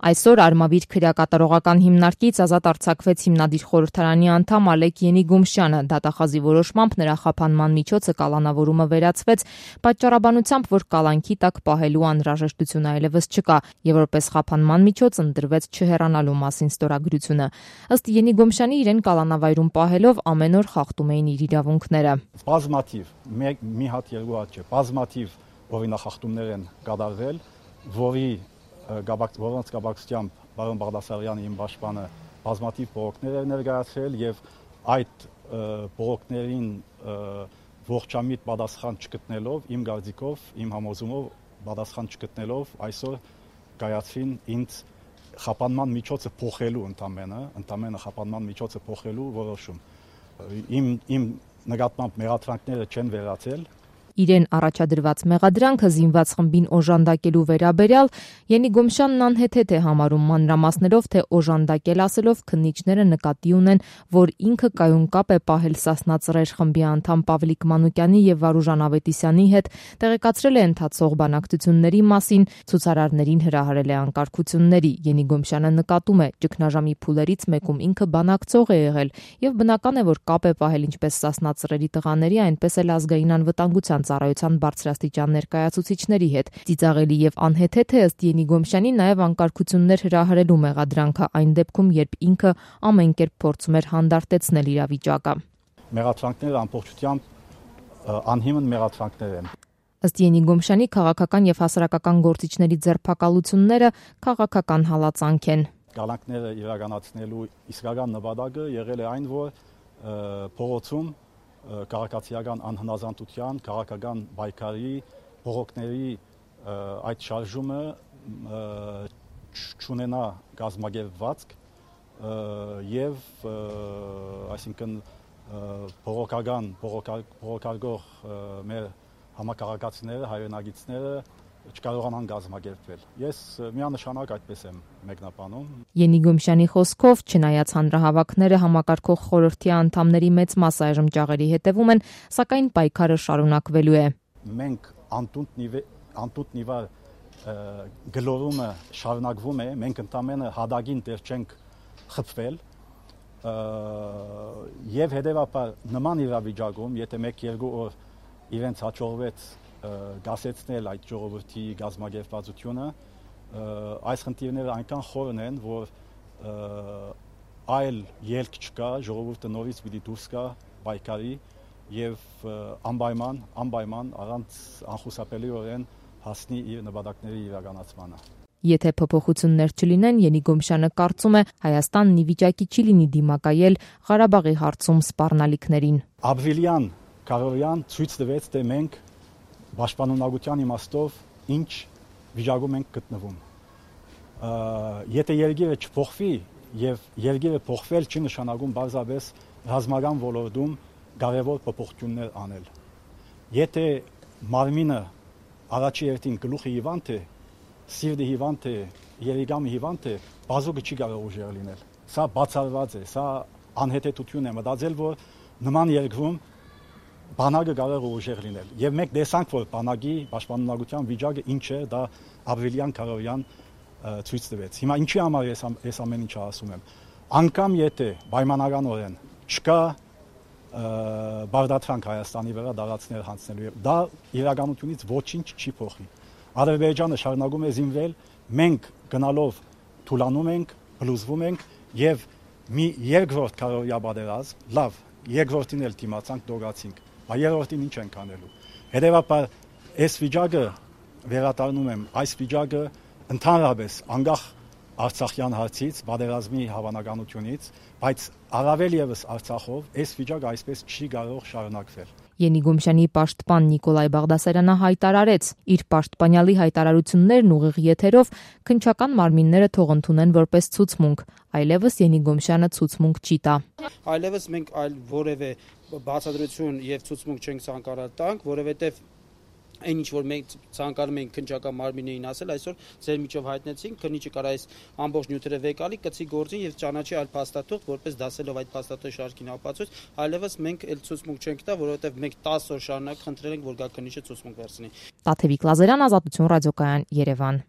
Այսօր Արմավիր քրեակատարողական հիմնարկից ազատ արձակվեց հիմնադիր խորհրդարանի անդամ Ալեք Ենիգոմշյանը։ Դատախազի որոշմամբ նրա խափանման միջոցը կալանավորումը վերացվեց, պատճառաբանությամբ, որ կալանքի տակ պահելու անհրաժեշտություն այլևս չկա, եւ որպես խափանման միջոց ընտրվեց չհեռանալու մասին ստորագրությունը։ Ըստ Ենիգոմշյանի, իրեն կալանավայրում պահելով ամեն օր խախտում էին իր իրավունքները։ Բազմաթիվ, մի հատ երկու հատ չէ, բազմաթիվ օրինախախտումներ են կատարվել, որոնց կապակցությամբ պարոն Բաղդասարյանը իմ պաշտպանը բազմաթիվ բողոքներ էր ներկայացրել եւ այդ բողոքներին ողջամիտ պատասխան չգտնելով, իմ կարծիքով, իմ համոզումով պատասխան չգտնելով այսօր կայացրին ինձ խափանման միջոցը փոխելու ընդամենը խափանման միջոցը փոխելու որոշում։ Իմ նկատմամբ մեղադրանքները չեն վերացել։ Իրեն առաջադրված մեղադրանքը զինված խմբին օժանդակելու վերաբերյալ Ենիգոմշյանն անհեթեթ է համարում, մանրամասներով, թե օժանդակել ասելով քննիչները նկատի ունեն, որ ինքը կայուն կապ է պահել Սասնա Ծռեր խմբի անդամ Պավլիկ Մանուկյանի եւ Վարուժան Ավետիսյանի հետ, տեղեկացրել է ընթացող բանակցությունների մասին, ցուցարարներին հրահրել է անկարգությունների։ Ենիգոմշյանը նկատում է, ճգնաժամի փուլերից մեկում ինքը բանակցող է եղել եւ բնական է, որ կապ է պահել ինչպես Սասնա Ծռերի տղաների, այնպես էլ ազգային անվտանգության ծառայության բարձրաստիճան ներկայացուցիչների հետ։ Ծիծաղելի եւ անհեթեթ է ըստ Ենիգոմշյանի նաեւ անկարգություններ հրահրելու մեղադրանքը այն դեպքում, երբ ինքը ամեն կերպ փորձում էր հանդարտեցնել իրավիճակը։ Մեղադրանքները ամբողջությամբ անհիմն մեղադրանքներ են։ Ըստ Ենիգոմշյանի քաղաքական եւ հասարակական գործիչների ձերբակալությունները քաղաքական հալածանք են։ Կալանքները իրականացնելու իսկական նպատակը եղել է այն, որ փողոցում քաղաքացիական անհնազանդության, քաղաքական պայքարի, բողոքների այդ շարժումը չունենա կազմակերպվածք եւ այսինքն բողոքարկող մեր համակարգացիները, հայրենագիտները չկարողանան կազմակերպվել։ Ես միանշանակ այդպես եմ մեկնաբանում։ Ենիգոմշյանի խոսքով, չնայած հանրահավաքները համակարգող խորհրդի անդամների մեծ մասը այժմ ճաղերի հետևում են, սակայն պայքարը շարունակվելու է։ Մենք անտուտնիվար գլորումը շարունակվում է, մենք ընդամենը հադագին դեռ չենք խփվել եւ հետեւաբար նման իրավիճակում, եթե 1-2 օր իրենց հաջողվեց գասեցնել այդ ժողովրդի գազམ་ագերվածությունը, այս խնդիրները այնքան խորն են, որ այլ ելք չկա, ժողովուրդը նորից պիտի դուրս գա պայքարի եւ անպայման առանց անխուսափելիորեն հասնի իր նպատակների իրականացմանը։ Եթե փոփոխություններ չլինեն, Ենիգոմշյանը կարծում է, Հայաստանն ի վիճակի չի լինի դիմակայել Ղարաբաղի հարցում սպառնալիքներին։ Ապրիլյան Կարոյան ցույց տվեց, թե մենք պաշտպանունակության իմաստով ինչ վիճակում ենք գտնվում։ Եթե երկիրը չփոխվի եւ երկիրը փոխվել չի նշանակում բարձրապես ռազմական ոլորտում կարևոր փոփոխություններ անել։ Եթե մարմինը առաջի հերթին գլուխի հիվանդ է, սիրտի հիվանդ է, երիկամի հիվանդ է, բազուկը չի կարող ուժեղ լինել։ Սա բացառված է, սա անհետեթություն է մտածել, որ նման երկրում բանակը կարող է ուժեղ լինել։ Եվ մենք տեսանք, որ բանակի պաշտպանունակության վիճակը ինչ է, դա ապրիլյան Կարոյան ցույց տվեց։ Հիմա ինչի համար ես ամեն ինչը ասում եմ։ Անկամ եթե պայմանականորեն չկա բարդացանք Հայաստանի վրա դարածներ հանձնելու, դա իրականությունից ոչինչ չի փոխի։ Ադրբեջանը շարունակում է զինվել, մենք գնալով թուլանում ենք, բլուզվում ենք եւ մի երկրորդ Կարոյա պատերազմ, լավ, երկրորդին էլ դիմացանք, դողացինք, բայց երրորդին ինչ ենք անելու։ Հետևաբար այս վիճակը վերադառնում եմ, այս վիճակը ընդհանրապես անկախ Արցախյան հարցից, պատերազմի հավանականությունից, բայց առավել եւս Արցախով այս վիճակը այսպես չի կարող շարունակվել։ Ենիգոմշյանի պաշտպան Նիկոլայ Բաղդասարյանը հայտարարեց, իր պաշտպանյալի հայտարարություններն ուղիղ եթերով քննչական մարմինները թող ընդունեն որպես ցուցմունք, այլևս Ենիգոմշյանը ցուցմունք չի տա։ Այլևս մենք այլ որևէ բացատրություն եւ ցուցմունք չենք ցանկանում տանք, որովհետեւ այն ինչ որ մենք ցանկանում ենք քննչական մարմիններին ասել, այսօր ձեր միջով հայտնեցինք, քննիչը կարա այս ամբողջ նյութերը վեկալի, կցի գործին եւ ճանաչի այլ փաստաթուղթ, որպես դասելով այդ փաստաթղթի շարքին ապացույց, այլևս մենք այլ ցուցմունք չենք տա, որովհետեւ մենք 10 օր շարունակ խնդրել ենք, որ գա քննիչը ցուցմունք վերցնի։ Տաթևիկ Լազարյան, Ազատություն ռադիոկայան, Երևան։